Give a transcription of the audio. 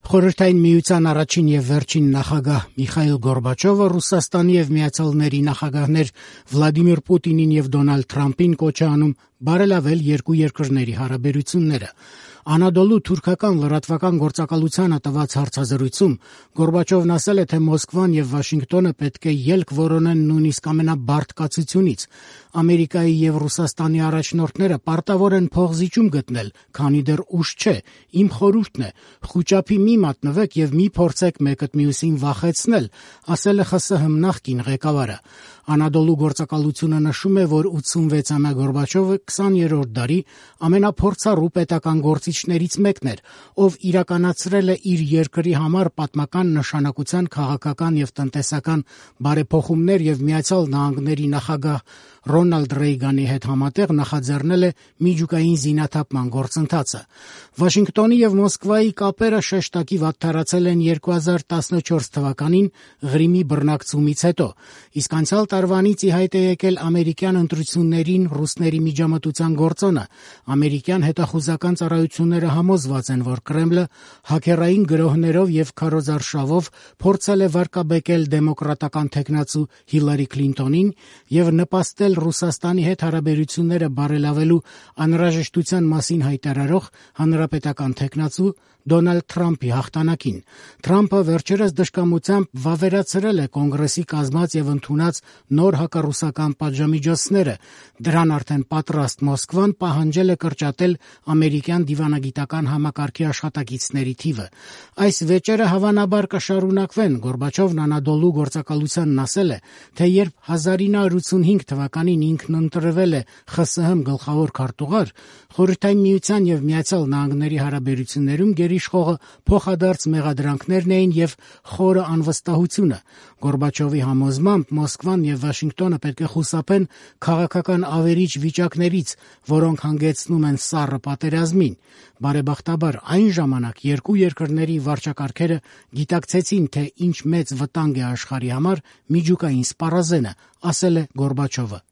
Խորհրդային Միության առաջին եւ վերջին նախագահ Միխայիլ Գորբաչովը Ռուսաստանի եւ Միացյալների նախագահներ Վլադիմիր Պուտինին եւ Դոնալդ Թրամփին կոչ է անում բարելավել երկու երկրների հարաբերությունները։ Անադոլու թուրքական լրատվական գործակալությանը տված հարցազրույցում Գորբաչովն ասել է, թե Մոսկվան եւ Վաշինգտոնը պետք է ելք որոնեն նույնիսկ ամենաբարդ կացությունից։ Ամերիկայի եւ Ռուսաստանի առաջնորդները պարտավոր են փողզիջում գտնել, քանի դեռ ուշ չէ։ Իմ խորհուրդն է՝ խուճապի մի մատնվեք եւ մի փորձեք մեկըդ մյուսին վախեցնել, ասել է ԽՍՀՄ նախկին ղեկավարը։ Անադոլու գործակալությունը նշում է, որ 86-ամյա Գորբաչովը 20-րդ դարի ամենափորձառու պետական գործիչներից մեկն էր, ով իրականացրել է իր երկրի համար պատմական նշանակության քաղաքական եւ տնտեսական բարեփոխումներ եւ Միացյալ Նահանգների նախագահ Ռոնալդ Ռեյգանի հետ համատեղ նախաձեռնել է միջուկային զինաթափման գործընթացը։ Վաշինգտոնի եւ Մոսկվայի կապերը շեշտակի վատթարացել են 2014 թվականին Ղրիմի բռնակցումից հետո, իսկ անցյալ տարվանից ի հայտ է եկել ամերիկյան ընտրություններին ռուսների միջամտության գործոնը։ Ամերիկյան հետախուզական ծառայությունները համոզված են, որ Կրեմլը հաքերային գրոհներով եւ քարոզարշավով փորձել է վարկաբեկել դեմոկրատական թեկնածու Հիլարի Քլինտոնին եւ նպաստել Ռուսաստանի հետ հարաբերությունները բարելավելու անհրաժեշտության մասին հայտարարող հանրապետական թեկնածու Դոնալդ Թրամփի հաղթանակին։ Թրամփը վերջերս դժկամությամբ վավերացրել է Կոնգրեսի կազմած եւ ընդունած նոր հակառուսական պատժամիջոցները։ Դրան արդեն պատրաստ Մոսկվան պահանջել է կրճատել ամերիկյան դիվանագիտական համակարգի աշխատակիցների թիվը։ Այս վեճերը հավանաբար կշարունակվեն։ Գորբաչովն Անադոլու գործակալությանն ասել է, թե երբ 1985 թվականին ինքն ընտրվել է ԽՍՀՄ գլխավոր քարտուղար, Խորհրդային Միության եւ Միացյալ Նահանգների հարաբերություններում գերիշխողը փոխադարձ մեղադրանքներն էին եւ խորը անվստահությունը։ Գորբաչովի համոզմամբ Մոսկվան եւ Վաշինգտոնը պետք է խուսափեն քաղաքական ավերիչ վիճակներից, որոնք հանգեցնում են սառը պատերազմին։ Բարեբախտաբար այն ժամանակ երկու երկրների վարչակարգերը գիտակցեցին, թե ինչ մեծ վտանգ է աշխարհի համար միջուկային սպառազենը, ասել է Գորբաչովը։